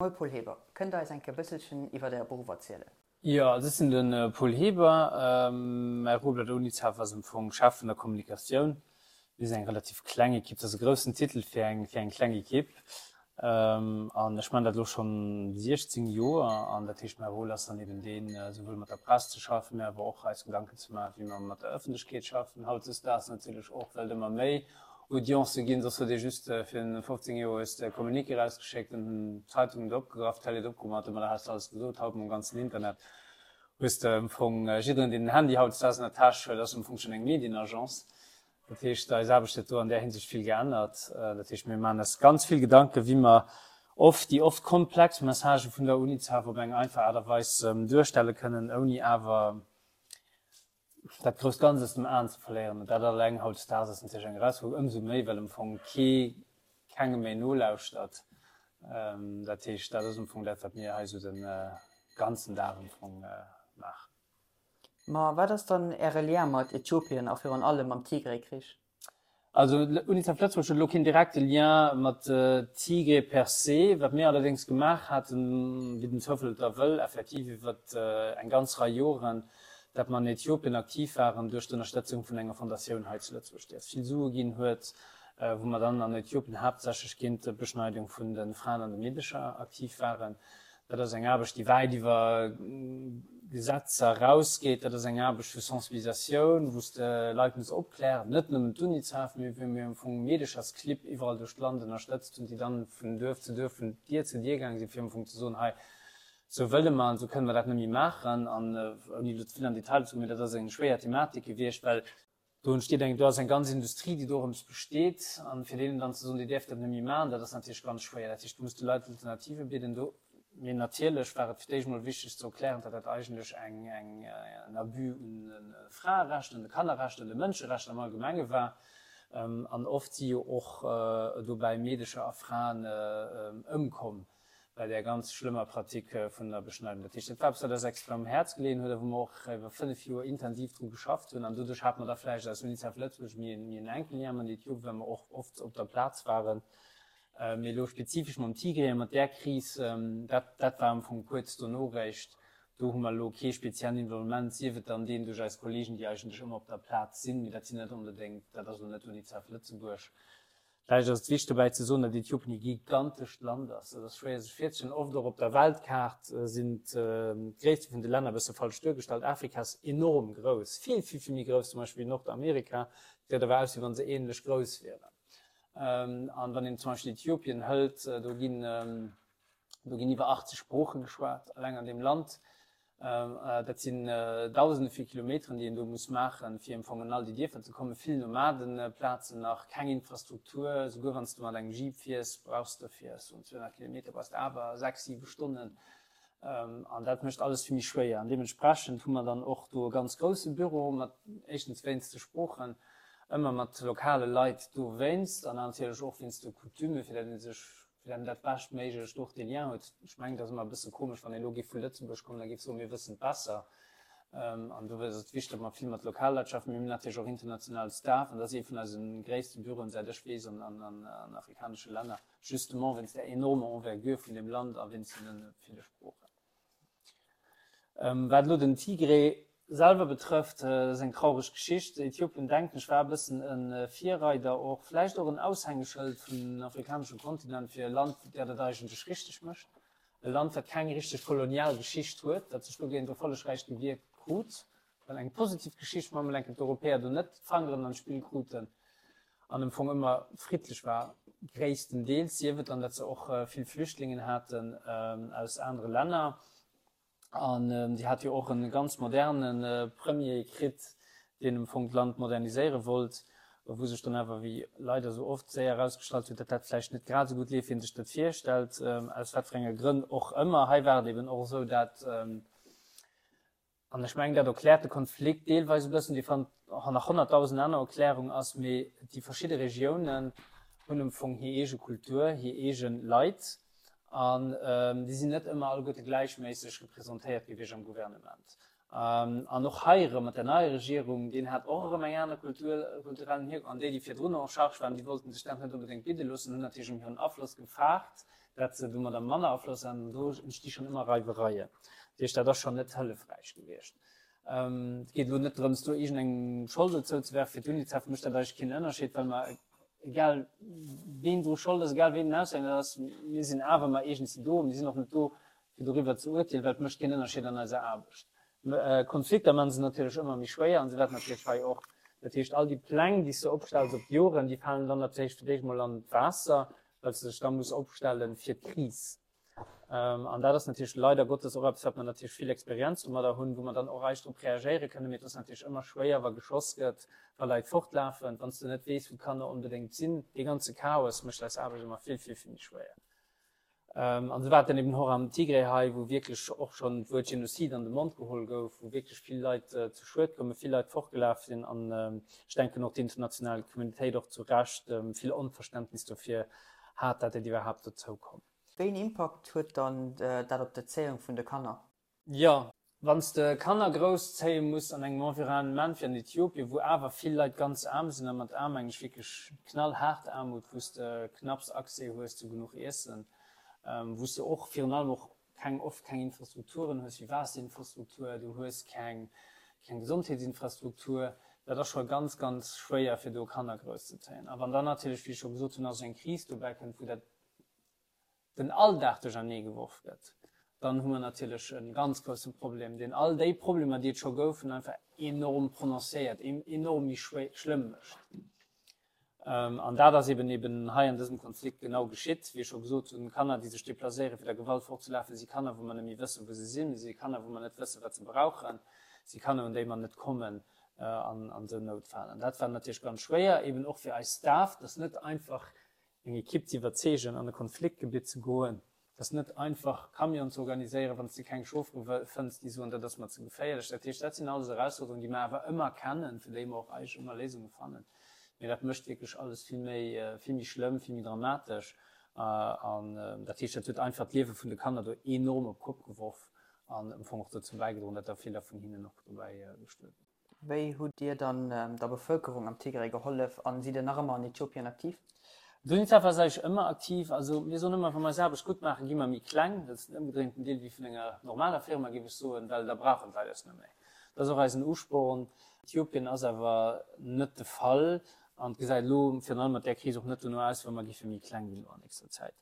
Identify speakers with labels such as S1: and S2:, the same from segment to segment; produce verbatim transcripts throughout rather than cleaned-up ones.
S1: Moie Paul Heber, kënnt der eis eng Kéier bësselchen iwwert Äre Beruff erzielen?
S2: Jo, also ech sinn de Paul Heber. Mäi Rôle bei der UNICEF ass am Fong Chef vun der Kommunikatioun. Mir sinn eng relativ kleng Ekipp, dat ass e groussen Titel fir eng fir eng kleng Ekipp. An ech maachen dat elo schonn siechzéng Joer. An dat heescht, mäi Rôle ass dann eben deen, souwuel mat der Press ze schaffen, mä awer och eis Gedanken ze maachen, wéi mer mat der Ëffentlechkeet schaffen. Hautdesdaags natierlech och, well et ëmmer méi Audiencë ginn, soss huet ee just fir en fofzéng Joer hues de e Communiqué erausgeschéckt an hunn d'Zeitungen et opgegraff, d'Télé et opgeholl, domadder has de alles gesot. Haut mam ganzen Internet hues de am Fong jidderen, deen en Handy hautdesdaags an der Täsch huet, ass am Fong schonn eng Medienagence. Dat heescht, eis Aarbecht huet do an där Hinsicht vill geännert. Dat heescht, mir maachen eis ganz vill Gedanken, wéi mer oft déi oft komplex Messagë vun der UNICEF op eng einfach Aart a Weis duerstelle kënnen, ouni awer dat grousst Ganzt aus dem Aen ze verléieren. An dat alleng hautdesdaags ass natierlech eng Erausfuerderung, ëmsou méi, well am Fong kee kengem méi nolauschtert. Dat heescht, dat ass am Fong dat, wat mir hei esou de ganzen Dag am Fong maachen.
S1: Ma wat ass dann Äre Lien mat Äthiopien a virun allem mam Tigray-Krich?
S2: Also UNICEF Lëtzebuerg huet elo keen direkte Lien mat Tigray per se. Wat mir allerdéngs gemaach haten, wéi den Zoufall et da wëll, effektiv iwwer eng ganz Rei Joren, dat mer an Äthiopien aktiv waren duerch d'Ënnerstëtzung vun enger Fondatioun hei zu Lëtzebuerg, déi eis vill Sue ginn huet, wou mer dann an Äthiopien haaptsächlech géint d'Beschneidung vun de Fraen an de Meedecher aktiv waren. Dat ass eng Aarbecht, déi wäit iwwer Gesetzer erausgeet. Dat ass eng Aarbecht vu Sensibilisatioun, wou s de Leit muss opklären, net nëmmen d'UNICEF, mee wou mir am Fong Meedechersclibb iwwerall duerch d'Land ënnerstëtzt hunn, déi dann vun Duerf zu Duerf, vun Dier zu Dier gaange sinn, fir am Fong ze soen, hei, esou wëlle mer an esou kënne mer dat net méi maachen. An ouni elo ze vill an Detailer ze goen, mee dat ass eng schwéier Thematik gewiescht, well Do entsteet eng, do ass eng ganz Industrie, déi dorëms besteet. An fir deenen dann ze soen, Dir däerft dat net méi maachen, dat ass natierlech ganz schwéier. Dat heescht, du muss de Leit Alternative bidden do. Mee natierlech war et fir d'éischt emol wichteg ze erklären, datt dat eigentlech eng, eng, en Abus un de Fraerechter, un de Kannerrechter, un de Mënscherechter am Allgemenge war. An oft si jo och dobäi Meedecher a Fraen ëmkomm. bei där ganz schlëmmer Pratique vun der Beschneidung. Dat heescht, dat war eppes, wat eis extrem um Häerz geleeën huet a wou mer och iwwer fënnef Joer intensiv dru geschafft hunn. An doduerch hate mer da vläicht als UNICEF Lëtzebuerg méi en enken Lien mat Äthiopien, well mer och oft op der Plaz waren. Mee elo spezifesch mam Tigray a mat där Kris, dat, dat war am Fong kuerz dono eréischt. Do hu mer elo kee speziellen Involvement, sief et dann deen duerch eis Kollegen, déi eigentlech ëmmer op der Plaz sinn. Mee dat sinn net onbedéngt, dat ass elo net UNICEF Lëtzebuerg. Vläicht ass et wichteg dobäi ze soen, datt Äthiopien e gigantescht Land ass. Dat ass schwéier sech virzestellen. Oft och op der Weltkaart sinn d'Gréisste vun de Länner e bësse falsch duergestallt. Afrika ass enorm grouss, vill, vill, vill méi grouss zum Beispill wéi Nordamerika. Et gesäit awer aus, wéi wa se änlech grouss wieren. An wann een zum Beispill Äthiopien hëlt, do ginn, do ginn iwwer achtzeg Sprooche geschwat, eleng an deem Land. Dat sinn Dausende vu Kilometeren, déi een do muss maachen, fir am Fong an all déi Dierfer ze kommen. Vill Nomadenplazen nach, keng Infrastruktur. Souguer wann s de mat engem Jeep fiers, brauchs de fir soen zweehonnert Kilometer brauchs de awer sechs, siwe Stonnen. An dat mécht alles vill méi schwéier. An deementsprechend hu mer dann och do e ganz grousse Büro mat, éischtens wéinst de Sproochen, ëmmer mat lokale Leit dowéinst an natierlech och wéinst de Coutumen, fir datt ee sech fir datt een dat beschtméiglecht och dee Lien huet. Ech mengen, et ass ëmmer e bësse komesch, wann ee elo géif vu Lëtzebuerg kommen a géif soen, mir wëssen et besser. An do ass et wichteg, datt mer vill mat Lokalleit schaffen. Mir hunn natierlech och internationale Staff an dat ass ee vun eise gréisste Büroen, säit ech weess, an afrikanesche Länner, justement wéinst där enormer Envergure vun deem Land a wéinst deene ville Sproochen. Wat elo den Tigray selwer betrëfft, dat ass eng traureg Geschicht. Äthiopien, denken ech, war e bëssen e Virreider och, vläicht och en Aushängeschëld vum afrikanesche Kontinent fir e Land, dat et eigentlech richteg mécht. E Land, wat keng richteg kolonial Geschicht huet, dat sech dogéint erfollegräich gewiert krut, well eng positiv Geschicht, wa mer enken d'Europäer do net d'Fangeren an d'Spill kruten an am Fong ëmmer friddlech war, gréisstendeels, sief et dann, datt se och vill Flüchtlingen haten aus anere Länner. An déi hat jo och e ganz moderne Premier kritt, deen am Fong d'Land moderniséiere wollt, wou sech dann awer, wéi leider esou oft, séier erausgestallt huet, datt dat vläicht net grad esou gutt leeft, wéi en sech dat virstellt, aus wat fir enge Grënn och ëmmer. Hei war et eben och esou, dat, an ech mengen, dat erkläert de Konflikt deelweis e bëssen, dee fannt och nach honnertdausend aner Erklärung ass, mee déi verschidde Regiounen hunn am Fong hir eege Kultur, hir eege Leit, An déi sinn net ëmmer alleguerte gläichméisseg representéiert gewiescht am Gouvernement. An och hei erëm mat der neier Regierung, deen hat och erëm eng aner Kultur, kulturellen Hierkonft. An déi, déi virdrun en charge waren, déi wollten sech dat net onbedéngt bidde loossen, hunn natierlech ëm hiren Afloss gefaart. dat se domadder manner Afloss han. An do entsti schonn ëmmer Reiwereien. Dat heescht, dat ass schonn net hëllefräich gewiescht. Et geet elo net drëms, do iergendengem Schold zouzewerfen. Fir d'UNICEF mécht dat eigentlech keen Ënnerscheed, well mer, egal ween dru Schold ass, egal ween den Aushänger ass, mir sinn awer ëmmer iergendwéi do. Mir sinn och net do, fir doriwwer ze urteelen, well et mécht keen Ënnerscheed an eiser Aarbecht. Konflikter maache se natierlech ëmmer méi schwéier an se wäerten natierlech hei och. Dat heescht, all déi Pläng, déi s de opstells op d'Joren, déi falen dann natierlech fir d'éischt mol an d'Waasser, well s de dech da muss opstelle fir d'Kris. An dat ass natierlech leider Gottes och eppes, wat mer natierlech vill Experienz domadder hunn, wou mer dann och eischt drop reagéiere kënnen. Mee et ass natierlech ëmmer schwéier, wa geschoss gëtt, wa Leit fortlafen, wann s de net weess, wou d'Kanner onbedéngt sinn. Dee ganze Chaos mécht eis Aarbecht ëmmer vill, vill, vill méi schwéier. An esou war et dann eben och am Tigray hei, wou wierklech och schonn d'Wuert Genozid an de Mond geholl gouf, wou wierklech vill Leit zu Schued koumen, vill Leit fortgelaf sinn an ech denken och d'international Communitéit och zu Recht vill Onverständnis dofir hat, dat et iwwerhaapt dozou koum.
S1: Wéi een Impakt huet dann dat op d'Erzéiung vun de Kanner?
S2: Jo, wann s de Kanner grousszéie muss an engem Environnement wéi an Ethiopien, wou awer vill Leit ganz aarm sinn, a mat aarm mengen ech wierklech knallhaart Aarmut, wou s de knapps Accès hues zu genuch Iessen, wou s de och virun allem och keng, oft keng Infrastrukturen hues wéi Waasserinfrastruktur, du hues keng, keng Gesondheetsinfrastruktur, dat ass scho ganz, ganz schwéier fir do Kanner grousszezéien. A wann dann natierlech, wéi ech scho gesot hunn, nach esou eng Kris dobäi kënnt, wou dat den Alldag duerchernee geworf gëtt, dann hu mer natierlech e ganz grousse Problem, deen all déi Problemer, déi et scho goufen, einfach enorm prononcéiert, enorm méi schlëmm mécht. An dat ass eben eben hei an dësem Konflikt genau geschitt. Wéi ech scho gesot hunn, Kanner, déi sech deplacéieren, fir der Gewalt fortzelafen, si Kanner, wou mer net méi wëssen, wou se sinn, si Kanner, wou mer net wëssen, wat se brauchen, si Kanner, un déi mer net kommen an esou Noutfäll. An dat war natierlech ganz schwéier, eben och fir eis Staff, dass net einfach eng Ekipp ze iwwerzeegen, an e Konfliktgebitt ze goen. Et ass net einfach, Camionen ze organiséieren, wann s de keng Chauffere fënns, déi soen, dat ass mer ze geféierlech. Dat heescht, dat sinn alles Erausforderungen, déi mer awer ëmmer kennen, fir déi mer och eigentlech ëmmer Léisunge fannen. Mee dat mécht wierklech alles vill méi, vill méi schlëmm, vill méi dramatesch. An dat heescht, dat huet einfach d'Liewe vun de Kanner do enorm op d'Kopp geworf an am Fong och dozou bäigedroen, datt der viller vun hinnen och dobäi gestuerwen sinn.
S1: Wéi hutt Dir dann der Bevëlkerung am Tigray gehollef an sidd Dir nach ëmmer an Äthiopien aktiv?
S2: D'UNICEF ass eigentlech ëmmer aktiv. Also mir soen ëmmer, wa mer eis Aarbecht gutt maachen, gi mer méi kleng. Dat ass den ëmgedréinten Deel wéi vun enger normaler Firma, géif ech soen, well da brauchen d'Leit eis net méi. Dat ass och eisen Usporn. Äthiopien ass awer net de Fall an et gesäit elo virun allem mat där Kris och net dono aus, wa mer géife méi kleng ginn elo an nächster Zäit.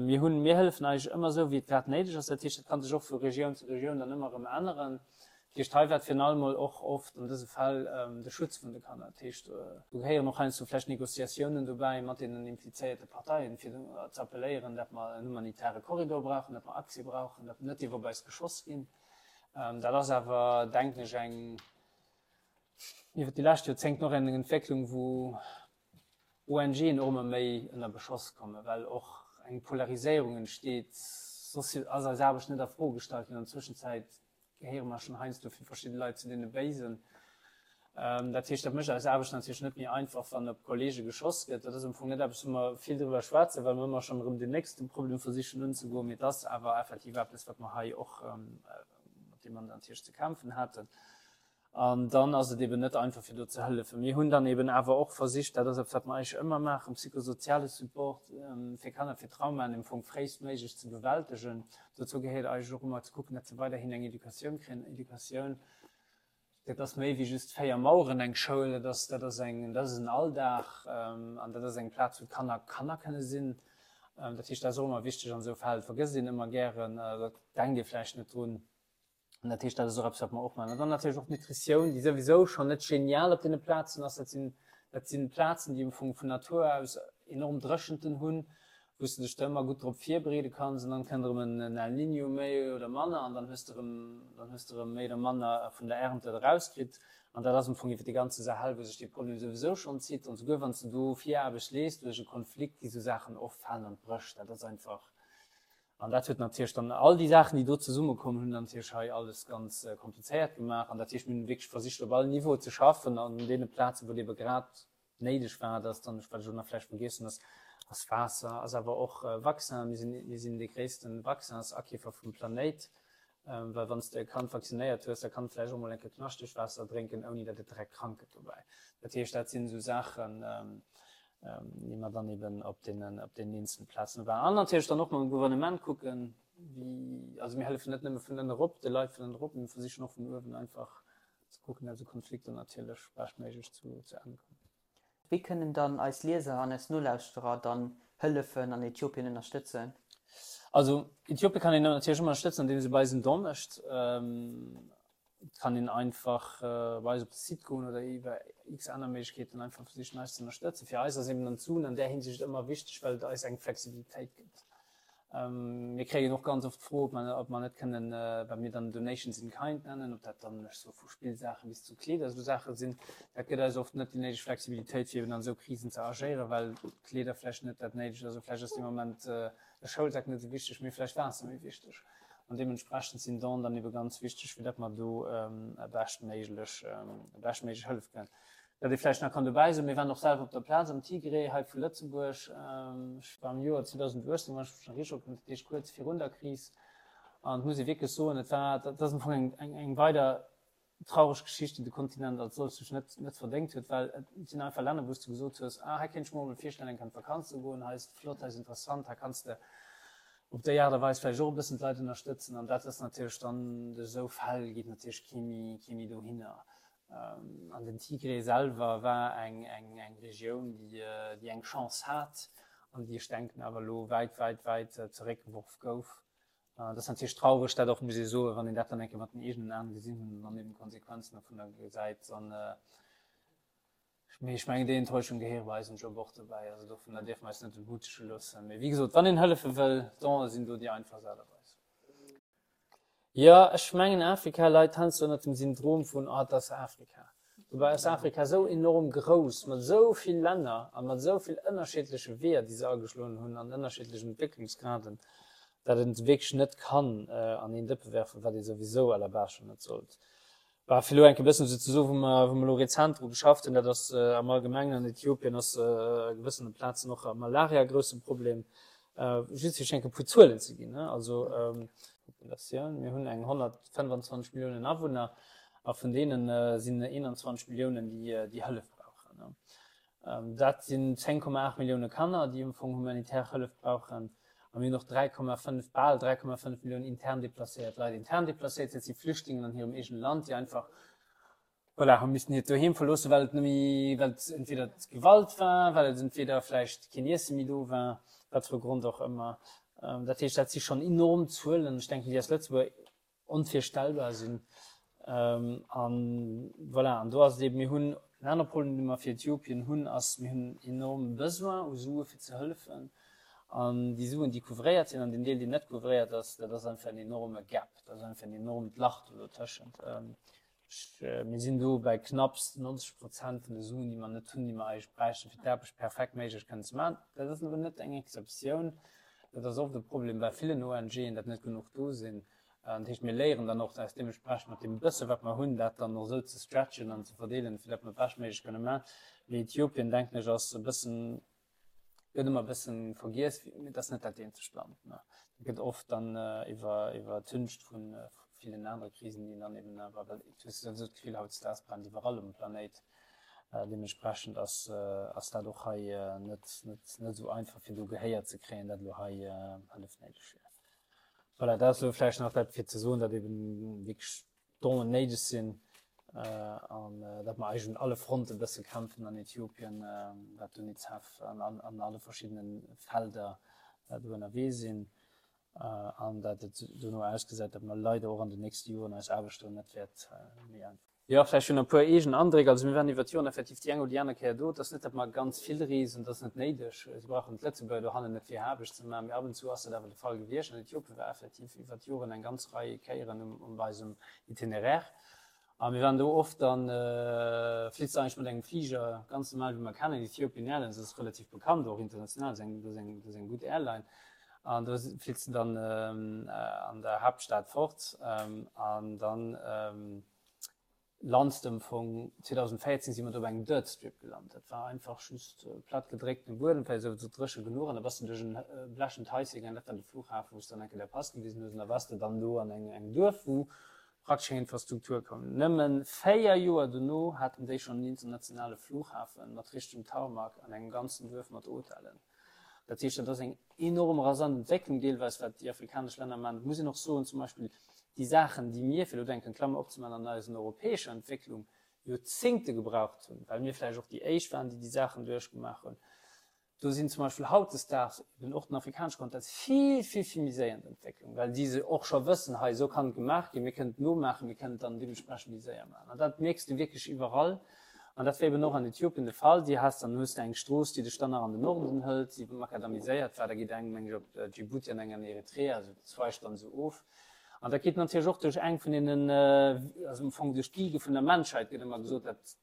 S2: Mir hunn, mir hëllefen eigentlech ëmmer esou, wéi et grad néideg ass. Dat heescht, dat ka sech och vu Regioun zu Regioun dann ëmmer erëm änneren. Dat heescht, hei war et virun allem mol och oft an dëse Fäll de Schutz vun de Kanner. Dat heescht, do gehéieren och heiansdo vläicht Négociatiounen dobäi mat deenen implizéierte Parteien, fir ze appelléieren, datt mer en humanitäre Korridor brauchen, datt mer Accès brauchen, datt net dierf op eis geschoss ginn. Dat ass awer, denken ech, eng iwwert déi lescht Joerzéngten och eng Entwécklung, wou ONGen och ëmmer méi ënner Beschoss kommen, well och eng Polariséierung entsteet. Soss ass eis Aarbecht net a Fro gestallt ginn. An der Zwëschenzäit gehéiere mer schonn heiansdo fir verschidde Leit zu deene Béisen. Dat heescht, dat mécht eis Aarbecht natierlech net méi einfach, wann op Kollege geschoss gëtt. Dat ass am Fong net eppes, wou mer vill driwwer schwätzen, well mer ëmmer schonn erëm deen nächste Problem versichen unzegoen. Mee et ass awer effektiv eppes, wat mer hei och, mat deem mer natierlech ze kämpfen haten. An dann ass et eben net einfach, fir do ze hëllefen. Mir hunn dann eben awer och versicht, dat ass eppes, wat mer eigentlech ëmmer maachen, psychosoziale Support fir Kanner, fir Traumaen am Fong fréistméiglech ze bewältegen. Dozou gehéiert eigentlech och ëmmer ze kucken, datt se weiderhin eng Educatioun kréien. Educatioun, dat ass méi wéi just véier Maueren, eng Schoul, dat ass, dat ass eng, dat ass en Alldag an dat ass eng Plaz, wou d'Kanner Kanner kënne sinn. Dat heescht, dat ass och ëmmer wichteg an esou Fäll. Vergësst een ëmmer gären, da denkt ee vläicht net drun. An dat heescht, dat ass och eppes, wat mer och maachen. An dann natierlech och d'Nutritioun, déi souwisou schonn net genial op deene Plazen ass. Dat sinn, dat si Plazen, déi am Fong vun Natur aus enorm Dréchenten hunn, wou s de dech da ëmmer gutt drop virbereede kanns. An dann kënnt erëm en El Niño méi oder manner an dann hues de erëm, dann hues de erëm méi oder manner vun der Ernte erauskritt. An dat ass am Fong iwwer de ganze Sahel, wou sech dee Problem souwisou schonn zitt. An souguer wann s de do Viraarbecht lees duerch e Konflikt, gi sou Saachen oft falen an d'Bréch. Dat ass einfach. An dat huet natierlech dann all déi Saachen, déi do zesummekomm, hunn natierlech hei alles ganz komplizéiert gemaach. An dat heescht, mir hunn wierklech versicht, op all Niveau ze schaffen an deene Plazen, wou et ebe grad néideg war. Dat ass dann, wat ech elo nach vläicht vergiess hunn, ass, ass Waasser, ass awer och Vaccin. Mir sinn, mir sinn dee gréisste Vaccinsakiefer vum Planéit, well wann s de e Kand vaccinéiert hues, da kann et vläicht och mol eng Kéier Knaschteg Waasser drénken, ouni datt et direkt krank gëtt dobäi. Dat heescht, dat sinn esou Saachen, déi mer dann eben op deenen, op deenen eenzele Plazen waren. An natierlech dann och mam Gouvernement kucken, wéi, also mir hëllefen net nëmme vun ënne erop, de Leit vun ënne erop, mir versichen och vun uewen einfach ze kucken, datt esou Konflikter natierlech beschtméiglech zu, zu Enn kommen.
S1: Wéi kënnen dann eis Lieser an eis Nolauschterer dann hëllefen an Äthiopien ënnerstëtzen?
S2: Also Äthiopien kann een natierlech ëmmer ënnerstëtzen, andeem se bei eis en Don mécht. Et kann een einfach bei eis op de Site goen oder iwwer x aner Méiglechkeeten einfach versichen eis ze ënnerstëtzen. Fir eis ass eben dann d'Suen an där Hinsicht ëmmer wichteg, well et eis eng Flexibilitéit gëtt. Mir kréien och ganz oft d'Fro, ob mer, ob mer net kënnen, wat mir dann Donations in kind nennen, ob dat dann, ech soe vu Spillsaache bis zu Kleeder esou Saache sinn. Dat gëtt eis oft net déi néideg Flexibilitéit, fir eben an esou Krisen ze agéieren, well Kleeder vläicht net dat néidegt ass, vläicht ass dee Moment e Schoulsak net esou wichteg, mee vläicht Waasser méi wichteg. An deementsprechend sinn Donen dann ebe ganz wichteg, fir datt mer do beschtméiglech, beschtméiglech hëllef kënnen. Wat ee vläicht nach kann dobäi soen, Mir waren och selwer op der Plaz am Tigré hei vu Lëtzebuerg. Ech war am Joer zweedausenduechtzéng, wann ech mech nach richteg erënneren, dat heescht kuerz virun der Kris. An et muss ee wierklech soen, et war, dat ass am Fong eng, eng, eng weider traureg Geschicht, déi de Kontinent als solches sech net, net verdéngt huet, well et sinn einfach Länner, wou s de gesot hues, ah, hei kéint ech mer emol virstellen, eng Kéier an d'Vakanz ze goen, hei ass et flott, hei ass interessant, hei kanns de op déi Aart a Weis vläicht och e bëssen d'Leit ënnerstëtzen. An dat ass natierlech dann, duerch esou Fäll geet natierlech kee méi, kee méi dohinner. An den Tigré selwer war eng, eng, eng Regioun, déi, déi eng Chance hat an déi, ech denken, awer elo wäit, wäit, wäit zeréckgeworf gouf. Dat ass natierlech traureg, dat och muss ee soen, wann een dat dann eng Kéier mat den eegenen Aen gesinn hunn an dann eben d'Konsequenzen dovunner gesäit. An, mee ech mengen, déi Enttäuschung gehéiere bei eisem Job och dobäi. Also dovunner dierfe mer eis net entmutege loossen. Mee wéi gesot, wann een hëllefe wëll, Donë sinn do déi einfachst Aart a Weis. Jo, ech mengen Afrika leit heiansdo ënnert dem Syndrom vun, oh, et ass Afrika. Dobäi ass Afrika esou enorm grouss, mat esou vill Länner a mat esou vill ënnerschiddleche Weeër, déi se ageschloen hunn an ënnerschiddlechen Entwécklungsgraden, datt een et wierklech net kann an een Dëppe werfen, wat ee souwisou à la base schonn net sollt. Bah, fir elo enk e bëssen esou ze soen, wou mer, wou mer elo rezent dru geschafft hunn, dat ass am Allgemengen an Äthiopien ass a gewëssene Plazen och Malaria e grousse Problem. Just fir iech enk e puer Zuelen ze ginn, also Populatioun, mir hunn eng honnertfënnefanzwanzeg Milliounen Awunner a vun deene sinn eenanzwanzeg Milliounen, déi, déi Hëllef brauchen. Dat sinn zéng Komma aacht Millioune Kanner, déi am Fong humanitär Hëllef brauchen. A mir hunn och dräi Komma fënnef, bal dräi Komma fënnef Milliounen intern deplacéiert Leit. Intern deplacéiert, dat si Flüchtlingen an hirem eegene Land, déi einfach, voilà, hu missen hiert Doheem verloossen, well et net méi, well et entweder d'Gewalt war, well et entweder vläicht keen Iesse méi do war, wat fir e Grond och ëmmer. Dat heescht, dat si schonn enorm Zuelen. Ech denken, déi aus Lëtzebuerg onvirstellbar sinn. An voilà, an do ass et eben, mir hunn en anere Problem, dee mer fir Äthiopien hunn, ass, mir hunn enorm Besoin u Sue fir ze hëllefen. An déi Suen, déi couvréiert sinn, an deen Deel, deen net couvréiert ass, dat ass einfach en enorme Gap, dat ass einfach en enormt Lach do dotëschent. Mir sinn do bei knapps neunzeg Prozent vun de Suen, déi mer net hunn, déi mer eigentlech bräichten, fir d'Aarbecht perfekt méiglech kënnen ze maachen. Dat ass awer net eng Exceptioun. Dat ass oft e Problem bei villen O N Gen, datt net genuch do sinn. Dat heescht, mir léieren dann och eis deementsprechend mat deem bësse wat mer hunn, dat dann och esou ze stretchen an ze verdeelen, fir datt mer et beschtméiglech kënne maachen. Mee Äthiopien, denken ech, ass e bëssen, gëtt ëmmer e bëssen vergiess, mee et ass net dat eenzegt Land. Dat gëtt oft dann iwwer, iwwertüncht vu villen anere Krisen, déi dann eben awer, well du hues souwisou d'Gefill, hautdesdaags brennt iwwerall um Planéit. Deementsprechend ass, ass dat och hei net, net, net esou einfach, fir do Gehéier ze kréien, dat elo hei Hëllef néideg wier. Voilà, dat ass elo vläicht nach dat fir ze soen, datt eben wierklech Donen néideg sinn an datt mer eigentlech un alle Fronte e bësse kämpfen an Äthiopien, wat d'UNICEF an an alle verschiddene Felder do ënnerwee sinn an datt et dono ausgesäit, datt mer leider och an den nächste Joren eis Aarbecht do net wäert méi einfach. Jo, vläicht schon e puer eegen Andréck. Also mir waren iwwer d'Joren effektiv déi eng oder déi aner Kéier do. Et ass net, datt mer ganz vill reesen, dat ass net néideg. Si brauchen d'Lëtzebuerger dohannen net fir hir Aarbecht ze maachen, mee ab und zu ass dat awer de Fall gewiescht. An Äthiopien war effektiv iwwer d'Joren eng ganz Rei Kéieren um bei eisem Itinéraire. A mir waren do oft dann, flitt se eigentlech mat engem Fliger, ganz normal wéi mer kennen, Ethiopian Airlines ass relativ bekannt och international, dat ass eng, dat ass eng, dat ass eng gutt Airline. An do flitt se dann an der Haaptstad fort an dann, Lands de am Fong. zweedausendvéierzéng si mer do op engem Dirt Strip gelant. Dat war einfach just platt gedréckten Buedem, vläicht esou dréche genuch, an da bass de duerch en blechent Haische gaangen, dat war de Flughafen, wou s de dann eng Kéier däi Pass gewisen hues, an da waars de dann do an engem Duerf, wou praktesch keng Infrastruktur koum. Nëmme véier Joer dono haten déi schonn en internationale Flughafen mat richtegem Tarmac an engem ganzen Duerf mat Hotellen. Dat heescht, dat ass eng enorm rasant Entwécklung deelweis, wat déi afrikanesch Länner maachen. Et muss een och soen, zum Beispill déi Saachen, déi mir, fir elo do eng Klammer opzemaachen, an eisen europäescher Entwécklung Joerzéngte gebraucht hunn, well mir vläicht och déi éischt waren, déi déi Saachen duerchgemaach hunn, do sinn zum Beispill hautdesdaags eben och den afrikanesche Kontinent vill, vill, vill méi séier an der Entwécklung, well déi se och scho wëssen, hei esou kann et gemaach ginn, mir kënnen et nomaachen, mir kënnen et dann deementsprechend méi séier maachen. An dat mierks de wierklech iwwerall. An dat war eben och an Äthiopien de Fall. Déi has dann hues de eng Strooss, déi dech dann nach an den Norden hëlt, déi makadamiséiert war, da geet eng, meng ech, op Djibouti an eng an Eritrea, also dat zweigt dann esou of. An dat geet natierlech och duerch eng vun deenen, also am Fong duerch d'Wiege vun der Menschheit, gëtt ëmmer gesot, dat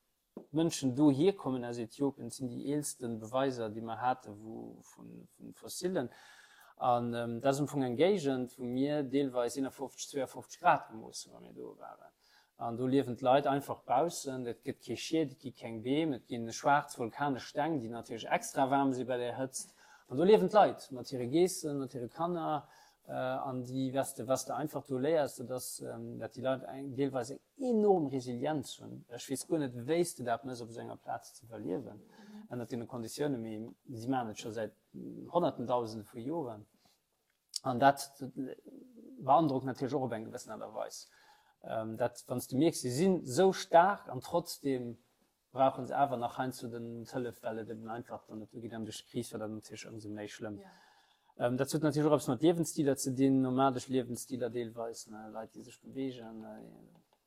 S2: d'Mënschen dohier kommen aus Äthiopien. Dat sinn déi eelste Beweiser, déi mer hate vu Fossilen. An dat ass am Fong eng Géigend, wou mir deelweis eenafofzeg, zweeafofzeg Grad gemooss hunn, wa mir do waren. An do liewen d'Leit einfach baussen, et gëtt kee Schied, et gi keng Beem, et gi schwaarz vulkanesch Steng, déi natierlech extra waarm si bei där Hëtzt. An do liewen d'Leit mat hire Geessen, mat hire Kanner. An déi, was de, was de einfach do léiers, dat ass, dat déi Leit eng, deelweis eng enorm Resilienz hunn. Ech weess guer net, wéi s de dat méchs, op esou enger Plaz ze iwwerliewen, ënnert deene Konditiounen, mee si maachen et scho säit Honnerten, Dausende vu Joren. An dat beandrockt natierlech och op eng gewëssen Aart a Weis. Dat, wann s de mierks, si sinn esou staark an trotzdeem brauche se awer nach heiansdo den d'Hëllef, well et eben einfach dann net duergeet. An duerch d'Kris war dat natierlech ëmsou méi schlëmm. Dat huet natierlech och eppes mat Liewensstiler ze dinn, nomadesch Liewensstiler deelweis, ne, Leit, déi sech beweegen.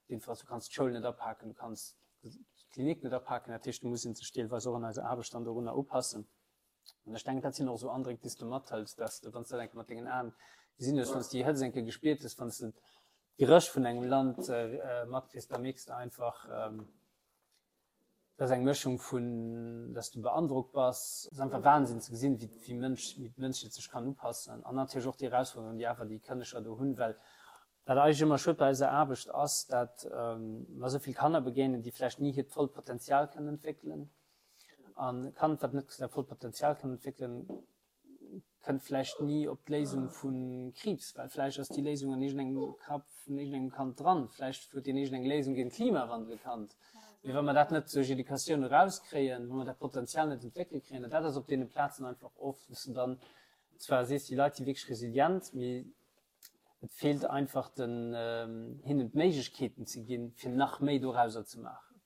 S2: Jedenfalls, du kanns d'Schoul net apaken, du kanns d'Klinik net apaken. Dat heescht, do muss ee sech deelweis och an eiser Aarbecht dann dorunner upassen. An ech denken, dat sinn och esou Andréck, déi s du mathëls, dass de, wann s de dat eng Kéier mat dengen Aen gesinn hues, wann s de déi Hëtzt eng Kéier gespiert hues, wann s de d'Geréch vun engem Land matkriss, da mierks de einfach, dat ass eng Mëschung vun, dass du beandrockt bass, et ass einfach Wahnsinn ze gesinn, wéi wéi Mënsch, wéi d'Mënschheet sech kann upassen an natierlech och déi Erausforderungen, déi awer déi Kënneger do hunn, well wat eigentlech ëmmer schued bei eiser Aarbecht ass, dat mer esou vill Kanner begéinen, déi vläicht ni hiert vollt Potenzial kënnen entwéckelen. An e Kand, wat net säi vollt Potenzial kann entwéckelen, kënnt vläicht ni op d'Léisung vu Kriibs, well vläicht ass déi Léisung an iergendengem Kapp vun iergendengem Kand dran. Vläicht huet deen iergendeng Léisung géint Klimawandel kannt. Mee wa mer dat net duerch Educatioun erauskréien, wa mer dat Potenzial net entwéckelt kréien, an dat ass op deene Plazen einfach oft, wou s de dann zwar sees, déi Leit si wierklech resilient, mee et feelt einfach den, hinnen d'Méiglechkeeten ze ginn, fir nach méi dorauser ze maachen.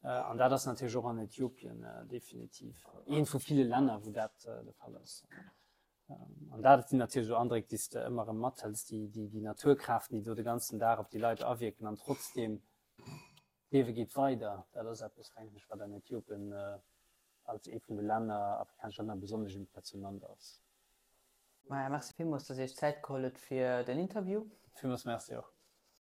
S2: An dat ass natierlech och an Äthiopien definitiv eent vu ville Länner, wou dat de Fall ass. An dat sinn natierlech esou Andréck, déi s de ëmmer erëm mathëls, déi, déi, déi Naturkraften, déi do de ganzen Dag op déi Leit awierken an trotzdeem, d'Liewe geet weider. Dat ass eppes, denken ech, wat an Äthiopien als ee vun de Länner, afrikanesche Länner besonnesch impressionant ass.
S1: Maja, merci villmools, dass Dir Iech Zäit geholl hutt fir den Interview.
S2: Villmools merci och.